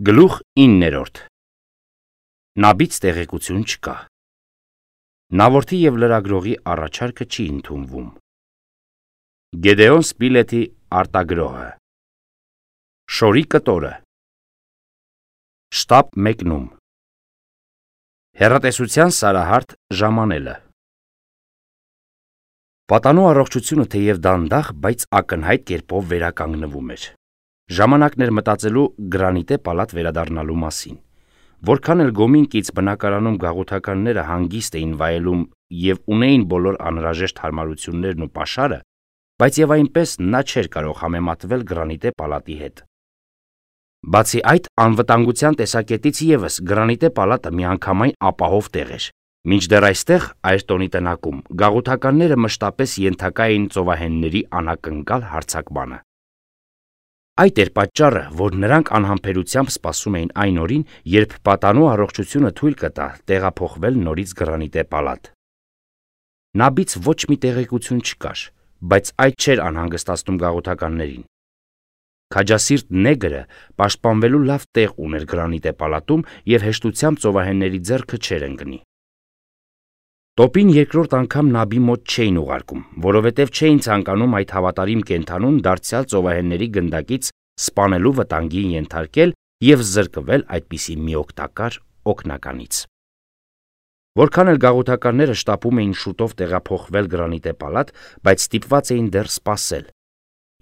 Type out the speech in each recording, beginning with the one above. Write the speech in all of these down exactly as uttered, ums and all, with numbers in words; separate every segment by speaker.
Speaker 1: Գլուխ իններորդ Նաբից տեղեկություն չկա։ Նավորդի և լրագրողի առաջարկը չի ընդունվում։ Գեդեոն Սպիլետի արտագրոհը Շորի կտորը Շտապ մեկնում Հեռատեսության սարահարթ ժամանելը Պատանու առողջությունը թեև դանդաղ, բայց ակնհայտ կերպով վերականգնվում էր։ Ժամանակն էր մտածելու գրանիտե պալատ վերադառնալու մասին։ Որքան էլ գոմինկից բնակարանում գաղութականները հանգիստ էին վայելում և ունեին բոլոր անհրաժեշտ հարմարություններն ու պաշարը, բայց և այնպես նա չէր կարող համեմատվել գրանիտե պալատի հետ։ Բացի այդ, անվտանգության տեսակետից ևս գրանիտե պալատը միանգամայն ապահով տեղ էր։ Մինչդեռ այստեղ, Այրտոնի տնակում, գաղութականները մշտապես ենթակա էին ծովահենների անակնկալ հարձակմանը։ Այդ էր պատճառը, որ նրանք անհամբերությամբ սպասում էին այն օրին, երբ պատանու առողջությունը թույլ կտա տեղափոխվել նորից գրանիտե պալատ։ Նաբից ոչ մի տեղեկություն չկար, բայց այդ չէր անհանգստացնում գաղութականներին։ Քաջասիրտ նեգրը պաշտպանվելու լավ տեղ ուներ գրանիտե պալատում և հեշտությամբ ծովահենների ձեռքը չէր ընկնի։ Տոպին երկրորդ անգամ Նաբի մոտ չէին ուղարկում, որովհետև չէին ցանկանում այդ հավատարիմ կենդանուն դարձյալ ծովահենների գնդակից սպանելու վտանգի ենթարկել և զրկվել այդպիսի մի օգտակար օգնականից։ Որքան էլ գաղութականները շտապում էին շուտով տեղափոխվել գրանիտե պալատ, բայց ստիպված էին դեռ սպասել։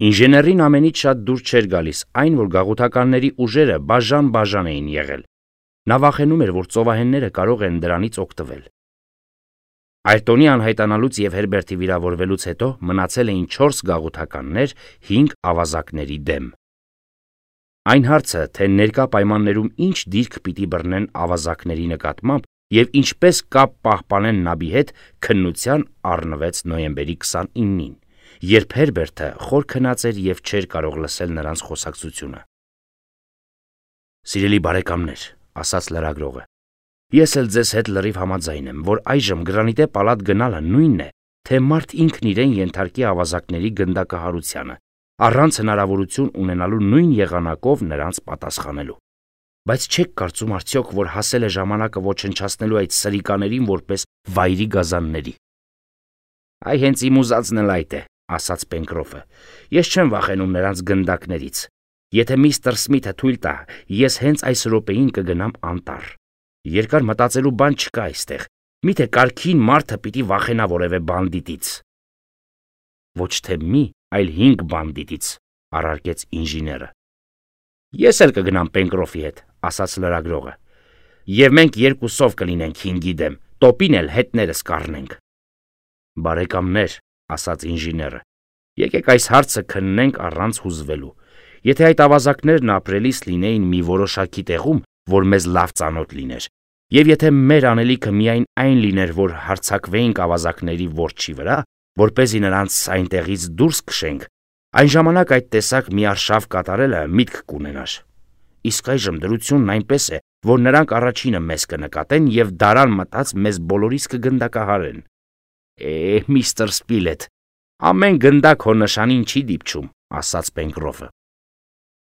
Speaker 1: Ինժեներին ամենից շատ դուր չէր գալիս այն, որ գաղութականների ուժերը բաժան-բաժան էին եղել։ Նա վախենում էր, որ ծովահենները կարող են դրանից օգտվել։ Այրտոնի անհայտանալուց և Հերբերտի վիրավորվելուց հետո մնացել էին չորս գաղութականներ հինգ ավազակների դեմ։ Այն հարցը, թե ներկա պայմաններում ինչ դիրք պիտի բռնեն ավազակների նկատմամբ և ինչպես կապ պահպանեն Նաբի հետ, քննության առնվեց նոյեմբերի քսանինին, երբ Հերբերտը խոր քնած էր և չէր կարող լսել նրանց խոսակցությունը։ «Սիրելի բարեկամներ», ասաց լրագրողը, «ես էլ ձեզ հետ լրիվ համաձայն եմ, որ այժմ գրանիտե պալատ գնալը նույնն է, թե մարդ ինքն իրեն ենթարկի ավազակների գնդակահարությանը, առանց հնարավորություն ունենալու նույն եղանակով նրանց պատասխանելու։ Բայց չեք կարծում արդյոք, որ հասել է ժամանակը ոչնչացնելու այդ սրիկաներին որպես վայրի գազանների»։ «Այ հենց իմ ուզածն էլ այդ է», ասաց Պենկրոֆը, «ես չեմ վախենում նրանց գնդակներից։ Եթե միստր Սմիթը թույլ տա, ես հենց այս րոպեին կգնամ անտառ։ Երկար մտածելու բան չկա այստեղ։ Միթե կարգին մարդը պիտի վախենա որևէ բանդիտից»։ «Ոչ թե մի, այլ հինգ բանդիտից», առարկեց ինժեները։ «Ես էլ կգնամ Պենկրոֆի հետ», ասաց լրագրողը, «և մենք երկուսով կլինենք հինգի դեմ, տոպին էլ հետներս կառնենք»։ «Բարեկամներ», ասաց ինժեները, «եկեք այս հարցը քննենք առանց հուզվելու։ Եթե այդ ավազակներն ապրելիս լինեին մի որոշակի տեղում, որ մեզ լավ ծանոթ լիներ, և եթե մեր անելիքը միայն այն լիներ, որ հարձակվեինք ավազակների որջի վրա, որպեսզի նրանց այնտեղից դուրս քշենք, այն ժամանակ այդ տեսակ մի արշավ կատարելը միտք կունենար։ Իսկ այժմ դրությունն այնպես է, որ նրանք առաջինը մեզ կնկատեն և դարան մտած մեզ բոլորիս կգնդակահարեն»։ «Է, միստր Սպիլետ, ամեն գնդակ հո նշանին չի դիպչում», ասաց Պենկրոֆը։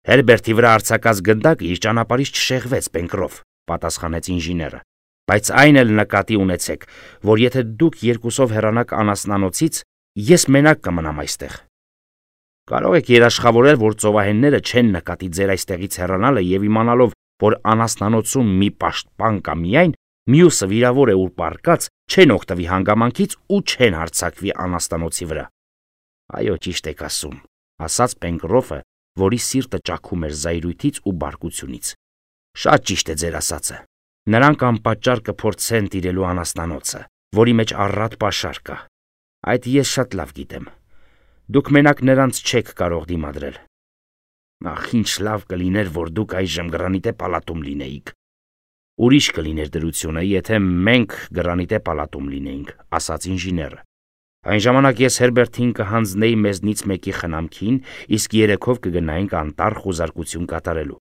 Speaker 1: «Հերբերտի վրա արձակած գնդակը իր ճանապարհից չշեղվեց, Պենկրոֆ», պատասխանեց ինժեները, «բայց այն էլ նկատի ունեցեք, որ եթե դուք երկուսով հեռանաք անասնանոցից, ես մենակ կմնամ այստեղ։ Կարող եք երաշխավորել, որ ծովահենները չեն նկատի ձեր այստեղից հեռանալը և իմանալով, որ անասնանոցում մի պաշտպան կա միայն, մյուսը վիրավոր է ու պառկած, չեն օգտվի հանգամանքից ու չեն հարձակվի անասնանոցի վրա»։ «Այո, ճիշտ եք ասում», ասաց Պենկրոֆը, որի սիրտը ճաքում էր զայրույթից ու բարկությունից։ «Շատ ճիշտ է ձեր ասածը։ Նրանք անպատճառ կփորձեն տիրելու անասնանոցը, որի մեջ առատ պաշար կա։ Այդ ես շատ լավ գիտեմ։ Դուք մենակ նրանց չեք կարող դիմադրել։ Ախ, ինչ լավ կլիներ, որ դուք այժմ գրանիտե պալատում լինեիք»։ «Ուրիշ կլիներ դրությունը, եթե մենք գրանիտե պալատում լինեինք», ասաց ինժեները։ «Այն ժամանակ ես Հերբերտին կհանձնեի մեզնից մեկի խնամքին, իսկ երեքով կգնայինք անտառ խուզարկություն կատարելու։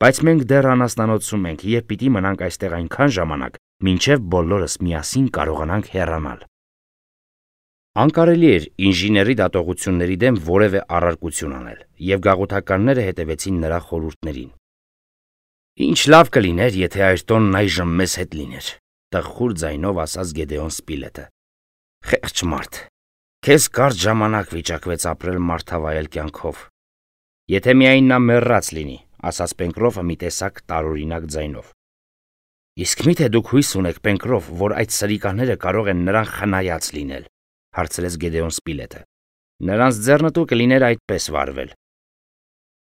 Speaker 1: Բայց մենք դեռ անասնանոցում ենք և պիտի մնանք այստեղ այնքան ժամանակ, մինչև բոլորս միասին կարողանանք հեռանալ»։ Անկարելի էր ինժեների դատողությունների դեմ որևէ առարկություն անել, և գաղութականները հետևեցին նրա խորհուրդներին։ Ինչ լավ կլիներ, եթե Այրտոնն այժմ մեզ հետ լիներ, տխուր ձայնով ասաց Գեդեոն Սպիլետը։ Խեղճ մարդ, քեզ կարճ ժամանակ վիճակվեց ապրել մարդավայել կյանքով։ Եթե միայն նա մեռած լինի, ասաց Պենկրոֆը մի տեսակ տարօրինակ ձայնով։ Իսկ միթե դուք հույս ունեք, Պենկրոֆ, որ այդ սրիկաները կարող են նրան խնայած լինել, հարցրեց Գեդեոն Սպիլետը։ Նրանց ձեռնտու կլիներ այդպես վարվել։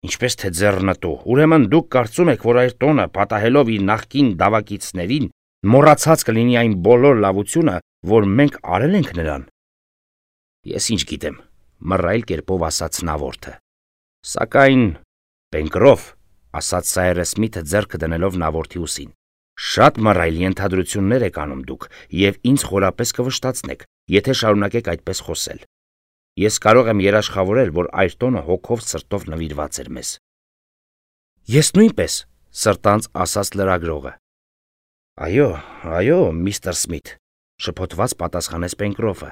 Speaker 1: Ինչպես թե ձեռնտու, ուրեմն դուք կարծում եք, որ Այրտոնը, պատահելով իր նախկին դավակիցներին, մոռացած կլինի այն բոլոր լավությունը, որ մենք արել ենք նրան։ Ես ինչ գիտեմ, մռայլ կերպով ասաց Նավորդը։ Սակայն, Պենկրոֆ, ասաց Սայրես Սմիթը ձեռքը դնելով Նավորդի ուսին, շատ մռայլ ենթադրություններ եք անում դուք եւ ինձ խորապես կվշտացնեք, եթե շարունակեք այդպես խոսել։ Ես կարող եմ երաշխավորել, որ Այրտոնը հոգով սրտով նվիրված էր մեզ։ Ես նույնպես, սրտանց ասաց լրագրողը։ Այո, այո, միստր Սմիթ, շփոթված պատասխանեց Պենկրոֆը։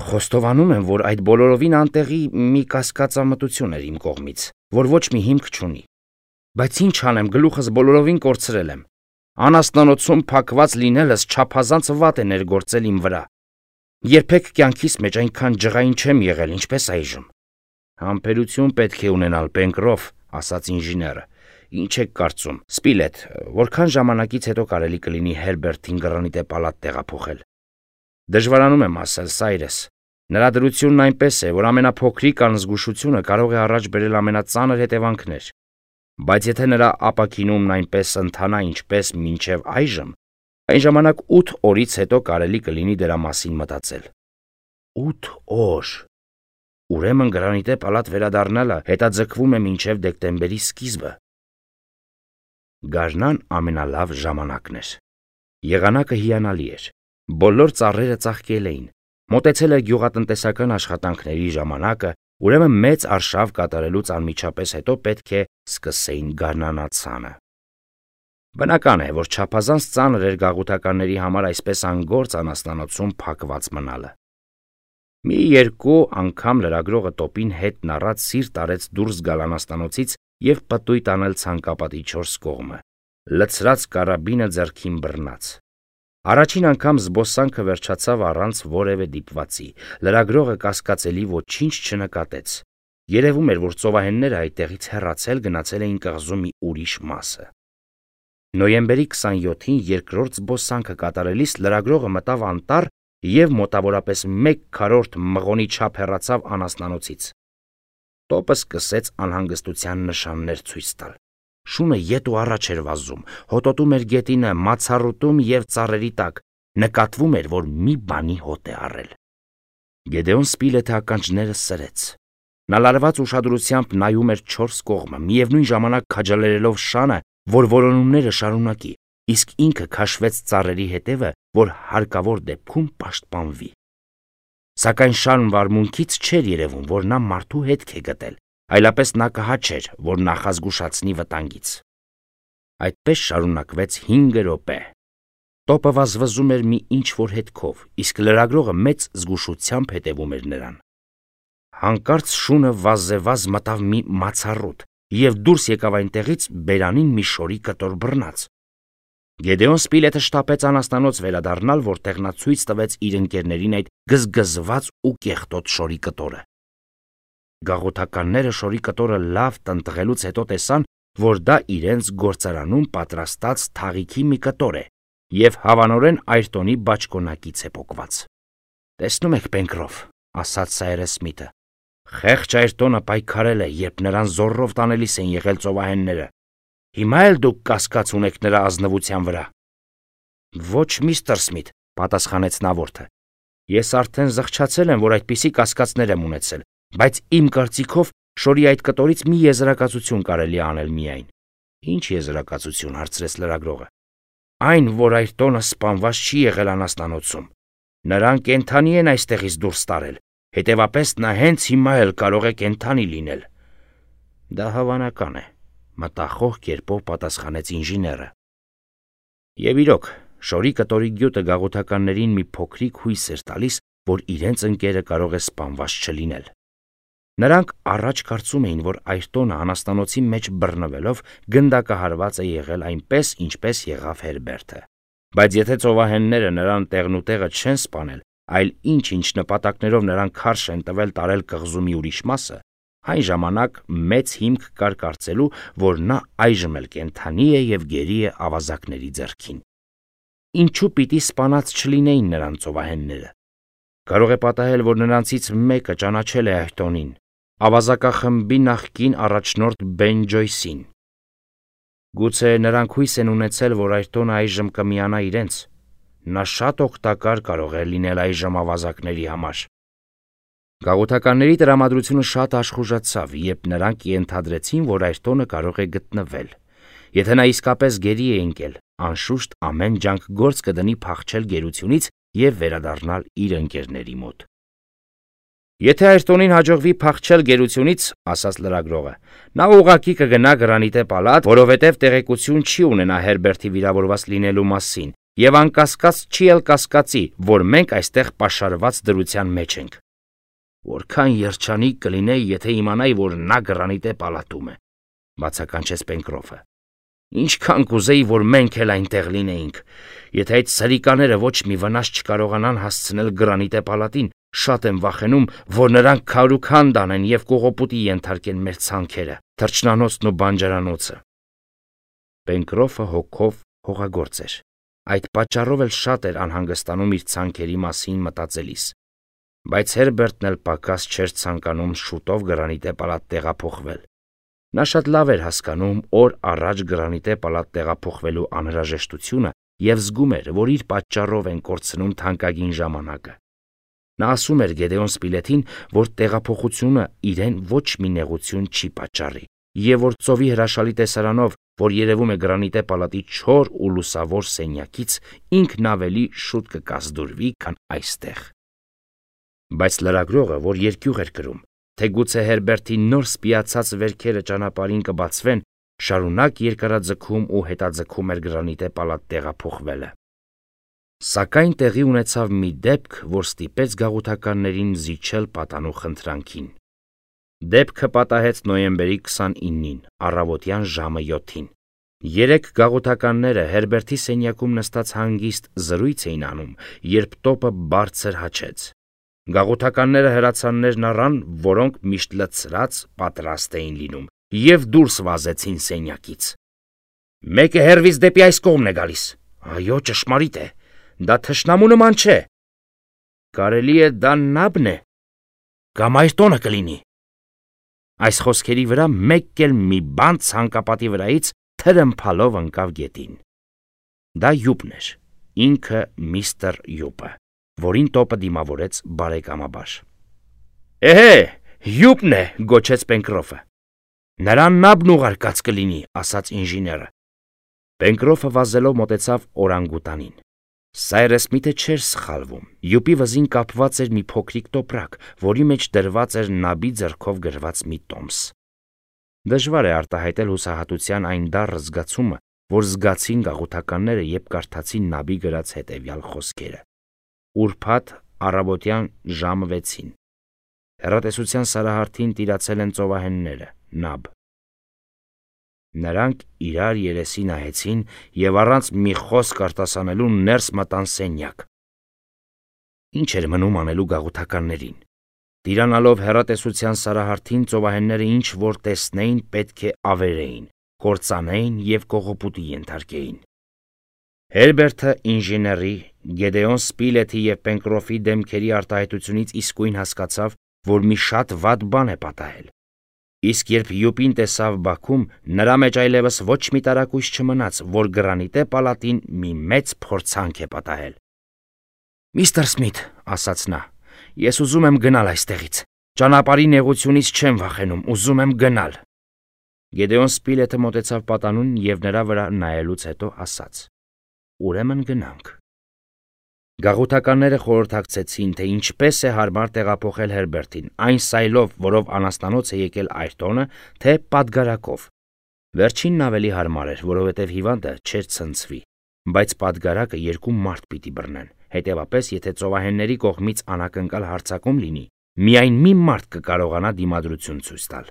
Speaker 1: Խոստովանում եմ, որ այդ բոլորովին անտեղի մի կասկածամտություն էր իմ կողմից, որ ոչ մի հիմք չունի։ Բայց ինչ անեմ, գլուխս բոլորովին կորցրել եմ։ Անասնանոցում փակված լինելս չափազանց վատ է ներգործել իմ վրա։ Երբեք կյանքիս մեջ այնքան ջղային չեմ եղել, ինչպես այժմ։ Համբերություն պետք է ունենալ, Պենկրոֆ, ասաց ինժեները։ Ինչ եք կարծում, Սպիլետ, որքան ժամանակից հետո կարելի կլինի Հերբերտին Գրանիտե պալատ տեղափոխել։ Դժվարանում եմ ասել, Սայրես։ Նրա դրությունն այնպես է, որ ամենափոքրիկ անզգուշությունը կարող է առաջ բերել ամենածանր հետևանքներ։ Բայց եթե նրա ապակինումն այնպես ընթանա, ինչպես մինչև այժմ, այն ժամանակ ութ օրից հետո կարելի կլինի դրա մասին մտածել։ Ութ օր։ Ուրեմն Գրանիտե պալատ վերադառնալը հետաձգվում է մինչև դեկտեմբերի սկիզբը։ Գարնան ամենալավ ժամանակն էր։ Եղանակը հիանալի էր։ Բոլոր ծառերը ծաղկել էին։ Մոտեցել էր գյուղատնտեսական աշխատանքների ժամանակը, ուրեմն մեծ արշավ կատարելուց անմիջապես հետո պետք է սկսեին գարնանացանը։ Բնական է, որ չափազանց ծանր էր գաղութականների համար այսպես անգործ անասնանոցում փակված մնալը։ Մի երկու անգամ լրագրողը տոպին հետ նռած սիրտ արեց դուրս գալ անասնանոցից եւ պտույտ անել ցանկապատի չորս կողմը։ Լցրած կարաբինը ձեռքին բռնած։ Առաջին անգամ զբոսանքը վերջացավ առանց որևէ դիպվածի։ Լրագրողը կասկածելի ոչինչ չնկատեց։ Երևում էր, որ ծովահենները այդտեղից հեռացել գնացել էին կղզու մի ուրիշ մասը։ Նոյեմբերի քսանյոթին երկրորդ զբոսանքը կատարելիս լրագրողը մտավ անտառ եւ մոտավորապես մեկ քառորդ մղոնի չափ հեռացավ անասնանոցից։ Տոպը սկսեց անհանգստության նշաններ ցույց տալ։ Շունը ետ ու առաջ էր վազում, հոտոտում էր գետինը, մացառուտում եւ ծառերի տակ, նկատվում էր, որ մի բանի հոտ է առել։ Գեդեոն Սպիլետը ականջները սրեց։ Նա լարված ուշադրությամբ նայում էր չորս կողմը, միևնույն ժամանակ քաջալերելով շանը, որ որոնումները շարունակի, իսկ ինքը քաշվեց ծառերի հետևը, որ հարկավոր դեպքում պաշտպանվի։ Սակայն շան վարմունքից չէր երևում, որ նա մարդու հետք է գտել, այլապես նա կհաչեր, որ նախազգուշացնի վտանգից։ Այդպես շարունակվեց հինգ րոպե։ Տոպը վազվզում էր մի ինչ-որ հետքով, իսկ լրագրողը մեծ զգուշությամբ հետևում էր նրան։ Հանկարծ շունը վազեվազ մտավ մի մացառուտ եւ դուրս եկավ այնտեղից բերանին մի շորի կտոր բռնած։ Գեդեոն Սպիլետը շտապեց անասնանոց վերադառնալ, որտեղ նա ցույց տվեց իր ընկերներին այդ գզգզված ու կեղտոտ շորի կտորը։ Գաղութականները շորի կտորը լավ տնտղելուց հետո տեսան, որ դա իրենց գործարանում պատրաստած թաղիքի մի կտոր է եւ հավանորեն Այրտոնի բաճկոնակից է պոկված։ Տեսնում եք, Պենկրոֆ, ասաց Սայրես Սմիթը, խեղճ Այրտոնը պայքարել է, երբ նրան զորrով տանելիս են եղել ծովահենները։ Հիմա էլ դուք կասկած ունեք նրա ազնվության վրա։ Ոչ, միստր Սմիթ, պատասխանեց Նավորդը։ Ես արդեն զղջացել եմ, որ այդպիսի կասկածներ եմ ունեցել, բայց իմ կարծիքով շորի այդ կտորից մի եզրակացություն կարելի անել միայն։ Ինչ եզրակացություն, հարցրեց լրագրողը։ Այն, որ Այրտոնը սպանված չի եղել անասնանոցում։ Նրան կենդանի են այստեղից դուրս տարել, հետևապես նա հենց հիմա էլ կարող է կենդանի լինել։ Դա հավանական է, մտախոհ կերպով պատասխանեց ինժեները։ Եվ իրոք, շորի կտորի գյուտը գաղութականներին մի փոքրիկ հույս էր տալիս, որ իրենց ընկերը կարող է սպանված չլինել։ Նրանք առաջ կարծում էին, որ Այրտոնը անաստանոցի մեջ բռնվելով գնդակահարված է եղել այնպես, ինչպես եղավ Հերբերտը։ Բայց եթե ծովահենները նրան տեղնուտեղը չեն սպանել, այլ ինչ-ինչ նպատակներով նրան քարշ են տվել տարել կղզումի ուրիշ մասը, այն ժամանակ մեծ հիմք կար կարծելու, որ նա այժմ էլ կենդանի է և գերի է ավազակների ձեռքին։ Ինչու պիտի սպանած չլինեին նրան ծովահենները։ Կարող է պատահել, որ նրանցից մեկը ճանաչել է Այրտոնին, ավազակախմբի նախկին առաջնորդ Բեն Ջոյսին։ Գուցե նրանք հույս են ունեցել, որ Այրտոնը այժմ կմիանա իրենց։ Նա շատ օգտակար կարող է լինել այժմ ավազակների համար։ Գաղութականների տրամադրությունը շատ աշխուժացավ, երբ նրանք ենթադրեցին, որ Այրտոնը կարող է գտնվել։ Եթե նա իսկապես գերի է ընկել, անշուշտ ամեն ջանք գործ կդնի փախչել գերությունից և վերադառնալ իր ընկերների մոտ։ Եթե Այրտոնին հաջողվի փախչել գերությունից, ասաց լրագրողը, նա ուղղակի կգնա Գրանիտե պալատ, որովհետև տեղեկություն չի ունենա Հերբերտի վիրավորված լինելու մասին, և անկասկած չի էլ կասկածի, որ մենք այստեղ պաշարված դրության մեջ ենք։ Որքան երջանիկ կլինեի, եթե իմանայի, որ նա Գրանիտե պալատում է, բացականչեց Պենկրոֆը։ Ինչքան կուզեի, որ մենք էլ այնտեղ լինեինք։ Եթե այդ սրիկաները ոչ մի վնաս չկարողանան հասցնել Գրանիտե պալատին, շատ եմ վախենում, որ նրանք քարուքան դանեն և կողոպուտի ենթարկեն մեր ցանքերը, թռչնանոցն ու բանջարանոցը։ Պենկրոֆը հոգով հողագործ էր։ Այդ պատճառով էլ շատ էր անհանգստանում իր ցանքերի մասին մտածելիս։ Բայց Հերբերտն էլ պակաս չէր ցանկանում շուտով Գրանիտե պալատ տեղափոխվել։ Նա շատ լավ էր հասկանում օր առաջ Գրանիտե պալատ տեղափոխվելու անհրաժեշտությունը և զգում էր, որ իր պատճառով են կորցնում թանկագին ժամանակը։ Նա ասում էր Գեդեոն Սպիլեթին, որ տեղափոխությունը իրեն ոչ մի նեղություն չի պատճառի, և որ ծովի հրաշալի տեսարանով, որ երևում է Գրանիտե պալատի չոր ու լուսավոր սենյակից, ինքն ավելի շուտ կկազդուրվի, քան այստեղ։ Բայց լրագրողը, որ երկյուղ էր կրում, թե գուցե Հերբերտի նոր սպիացած վերքերը ճանապարհին կբացվեն, շարունակ երկարաձգում ու հետաձգում էր Գրանիտե պալատ տեղափոխվելը։ Սակայն տեղի ունեցավ մի դեպք, որ ստիպեց գաղութականներին զիջել պատանու խնդրանքին։ Դեպքը պատահեց նոյեմբերի քսանինին, առավոտյան ժամը յոթին։ Երեք գաղութականները Հերբերտի սենյակում նստած հանգիստ զրույց էին անում, երբ տոպը բարձր հաչեց։ Գաղութականները հրացաններն առան, որոնք միշտ լցրած պատրաստ էին լինում, և դուրս վազեցին սենյակից։ Մեկը հեռվից դեպի այս կողմն է գալիս։ Այո, ճշմարիտ է։ Դա թշնամու նման չէ։ Կարելի է դա Նաբն է, կամ Այրտոնը կլինի։ Այս խոսքերի վրա մեկ էլ մի բան ցանկապատի վրայից թրմփալով ընկավ գետին։ Դա Յուպն էր, ինքը միստր Յուպը, որին տոպը դիմավորեց բարեկամաբար։ Էհե, Յուպն է, գոչեց Պենկրոֆը։ Նրան Նաբն ուղարկած կլինի, ասաց ինժեները։ Պենկրոֆը վազելով մոտեցավ օրանգուտանին։ Սայրս միթե չէր սխալվում։ Յուպի վզին կապված էր մի փոքրիկ տոպրակ, որի մեջ դրված էր Նաբի ձեռքով գրված մի տոմս։ Դժվար է արտահայտել հուսահատության այն դառը զգացումը, որ զգացին գաղութականները, երբ կարդացին Նաբի գրած հետևյալ խոսքերը։ Ուրբաթ առավոտյան ժամը վեցին։ Հեռատեսության սարահարթին տիրացել են ծովահենները, Նաբ։ Նրանք իրար երեսի նայեցին և առանց մի խոսք արտասանելու ներս մտան սենյակ։ Ինչ էր մնում անելու գաղութականներին։ Տիրանալով հեռատեսության սարահարթին, ծովահենները ինչ որ տեսնեին, պետք է ավերեին, կործանեին և կողոպուտի ենթարկեին։ Հերբերտը ինժեների, Գեդեոն Սպիլեթի և Պենկրոֆի դեմքերի արտահայտությունից իսկույն հասկացավ, որ մի շատ վատ բան է պատահել։ Իսկ երբ Յուպին տեսավ բակում, նրա մեջ այլևս ոչ մի տարակույս չմնաց, որ Գրանիտե պալատին մի մեծ փորձանք է պատահել։ Միստր Սմիթ, ասաց նա, ես ուզում եմ գնալ այստեղից։ Ճանապարհի նեղությունից չեմ վախենում, ուզում եմ գնալ։ Գեդեոն Սպիլեթը մոտեցավ պատանուն և նրա վրա նայելուց հետո ասաց. Ուրեմն գնանք։ Գաղութականները խորհրդակցեցին, թե ինչպես է հարմար տեղափոխել Հերբերտին, այն սայլով, որով անաստանոց է եկել Այրտոնը, թե պատգարակով։ Վերջինն ավելի հարմար էր, որովհետև հիվանդը չէր ցնցվի, բայց պատգարակը երկու մարդ պիտի բռնեն, հետևապես, եթե ծովահենների կողմից անակնկալ հարձակում լինի, Միայն մի մարդ կկարողանա դիմադրություն ցույց տալ։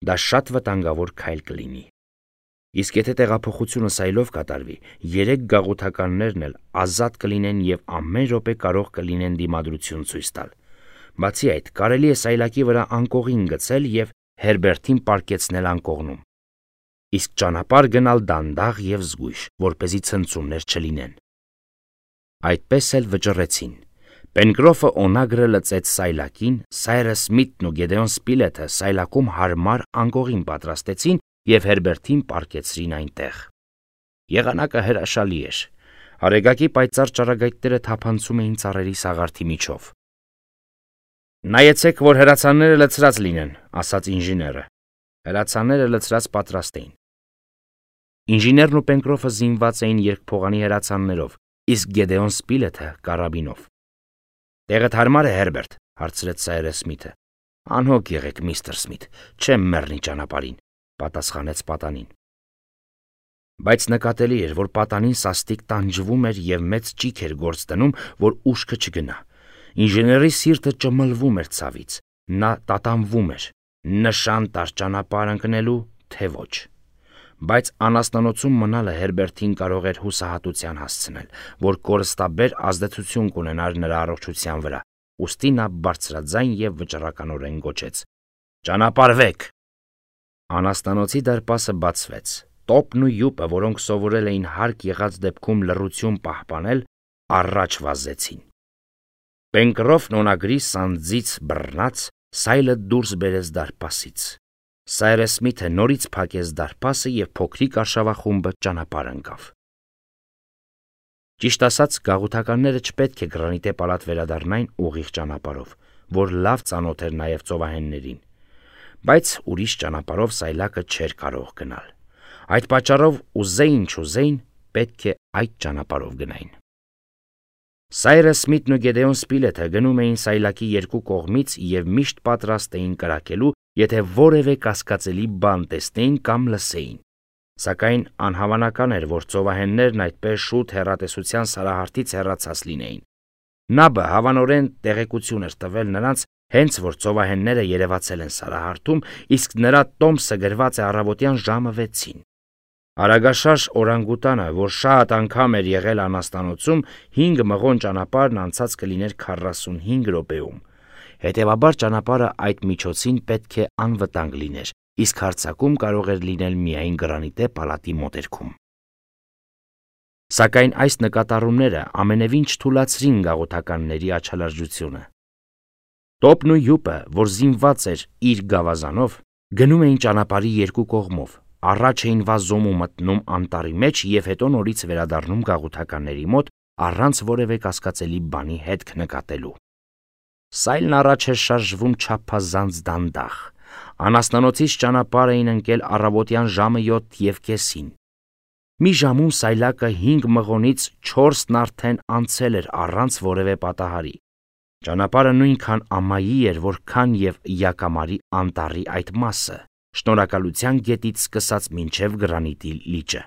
Speaker 1: Դա շատ վտանգավոր քայլ կլինի։ Իսկ եթե տեղափոխությունը սայլով կատարվի, երեք գաղութականներն էլ ազատ կլինեն եւ ամեն րոպե կարող կլինեն դիմադրություն ցույց տալ։ Բացի այդ, կարելի է սայլակի վրա անկողին գցել եւ Հերբերտին պարկեցնել անկողնում։ Իսկ ճանապարհ գնալ դանդաղ եւ զգույշ, որպեսզի ցնցումներ չլինեն։ Այդպես էլ վճռեցին։ Պենկրոֆը օնագրը լծեց սայլակին, Սայրս Սմիթն ու Գեդեոն Սպիլեթը սայլակում հարմար անկողին պատրաստեցին եւ Հերբերտին պարկեցրին այնտեղ։ Եղանակը հրաշալի էր։ Արեգակի պայծառ ճառագայթները թափանցում էին ծառերի սաղարթի միջով։ Նայեցեք, որ հրացանները լցրած լինեն, ասաց ինժեները։ Հրացանները լցրած պատրաստ էին։ Ինժեներն ու Պենկրոֆը զինված էին երկփողանի հրացաններով, իսկ Գեդեոն Սպիլեթը կարաբինով։ Տեղդ հարմար է, Հերբերտ, հարցրեց Սայրս Սմիթը։ Անհոգ եղեք, միստր Սմիթ, չեմ մեռնի ճանապարհին, պատասխանեց պատանին։ Բայց նկատելի էր, որ պատանին սաստիկ տանջվում էր եւ մեծ ճիք էր գործ դնում, որ ուշքը չգնա։ Ինժեների սիրտը ճմլվում էր ցավից, նա տատանվում էր, նշան տար ճանապարհ ընկնելու, թե ոչ։ Բայց անաստանոցում մնալը Հերբերտին կարող էր հուսահատության հասցնել, որ կորստաբեր ազդեցություն կունենար նրա առողջության վրա, ուստի նա բարձրաձայն եւ վճռականորեն գոչեց. «Ճանապարհվեք»։ Անաստանոցի դարպասը բացվեց։ Տոպն ու յուպը, որոնք սովորել էին հարկ եղած դեպքում լռություն պահպանել, առաջ վազեցին։ Պենկրոֆն օնագրի սանձից բռնած, սայլը դուրս բերեց դարպասից։ Սայրս Սմիթը նորից փակեց դարպասը եւ փոքրիկ արշավախումբը ճանապարհ ընկավ։ Ճիշտ ասած, գաղութականները չպետք է գրանիտե պալատ վերադառնային ուղիղ ճանապարհով, որ լավ ծանոթ էր նաեւ ծովահեններին, բայց ուրիշ ճանապարհով սայլակը չէր կարող գնալ։ Այդ պատճառով ուզեին չուզեին, պետք է այդ ճանապարհով գնային։ Սայրս Սմիթն ու Գեդեոն Սպիլեթը գնում էին սայլակի երկու կողմից եւ միշտ պատրաստ էին կրակելու, եթե որևէ կասկածելի բան տեսնեին կամ լսեին։ Սակայն անհավանական էր, որ ծովահեններն այդպես շուտ հեռատեսության սարահարթից հեռացած լինեին։ Նաբը հավանորեն տեղեկություն էր տվել նրանց, հենց որ ծովահենները երևացել են սարահարթում, իսկ նրա տոմսը գրված է առավոտյան ժամը վեցին։ Արագաշարժ օրանգուտանը, որ շատ անգամ էր եղել անաստանոցում, հինգ մղոն ճանապարհն անցած կլիներ քառասունհինգ րոպեում։ Հետևաբար ճանապարհը այդ միջոցին պետք է անվտանգ լիներ, իսկ հարձակում կարող էր լինել միայն գրանիտե պալատի մոտերքում։ Սակայն այս նկատառումները ամենևին չթուլացրին գաղութականների աչալրջությունը։ Տոպն ու յուպը, որ զինված էր իր գավազանով, գնում էին ճանապարհի երկու կողմով, առաջ էին վազում ու մտնում անտառի մեջ եւ հետո նորից վերադառնում գաղութականների մոտ առանց որևէ կասկածելի բանի հետք նկատելու։ Սայլն առաջ էր շարժվում չափազանց դանդաղ։ Անաստանոցից ճանապարհ էին ընկել առավոտյան ժամը յոթ եւ կեսին։ Մի ժամում սայլակը հինգ մղոնից չորսն արդեն անցել էր առանց որևէ պատահարի։ Ճանապարհը նույնքան ամայի էր, որքան եւ Յակամարի անտառի այդ մասը, Շնորհակալության գետից սկսած մինչև Գրանիտի լիճը։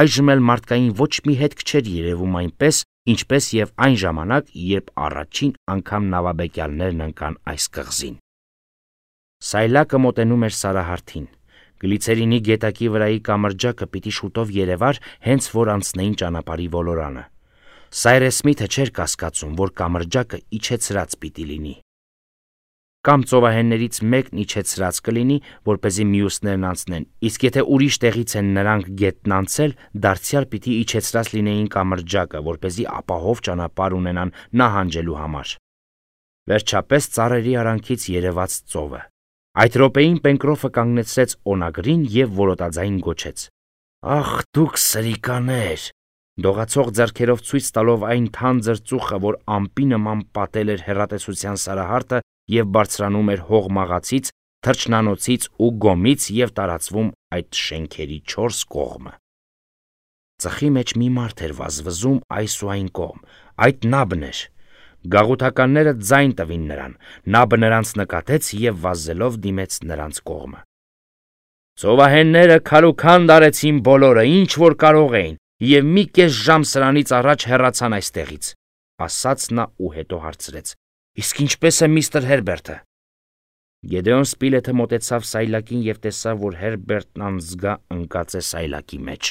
Speaker 1: Այժմ էլ մարդկային ոչ մի հետք չէր երևում այնպես, ինչպես եւ այն ժամանակ, երբ առաջին անգամ նավաբեկյալներն ընկան այս կղզին։ Սայլակը մոտենում էր սարահարթին։ Գլիցերինի գետակի վրայի կամրջակը պիտի շուտով երևար, հենց որ անցնեին ճանապարհի ոլորանը։ Սայրս Սմիթը չէր կասկածում, որ կամրջակը իջեցրած պիտի լինի։ Կամ ծովահեններից մեկն իջեցրած կլինի, որպեսզի մյուսներն անցնեն, իսկ եթե ուրիշ տեղից են նրանք գետն անցել, դարձյալ պիտի իջեցրած լինեին կամրջակը, որպեսզի ապահով ճանապարհ ունենան նահանջելու համար։ Վերջապես ծառերի արանքից երևաց ծովը։ Այդ րոպեին Պենկրոֆը կանգնեցրեց օնագրին եւ որոտաձայն գոչեց. «Ախ, դուք սրիկաներ»։ Դողացող ձեռքերով ցույց տալով այն թանձր ծուխը, որ ամպի նման պատել էր հեռատեսության սարահարթը եւ բարձրանում էր հողմաղացից, թրջնանոցից ու գոմից եւ տարածվում այդ շենքերի չորս կողմը։ Ծխի մեջ մի մարդ էր վազվզում այս ու այն կողմ, այդ Նաբն էր։ Գաղութականները ձայն տվին նրան, Նաբը նրանց նկատեց եւ վազելով դիմեց նրանց կողմը։ Ծովահենները քալուքան դարեցին բոլորը, ինչ որ կարող էին, եւ մի կես ժամ սրանից առաջ հեռացան այստեղից, ասաց նա ու հետո հարցրեց. Իսկ ինչպես է միստր Հերբերտը։ Գեդեոն Սպիլեթը մոտեցավ սայլակին եւ տեսավ, որ Հերբերտն անզգա ընկած է սայլակի մեջ։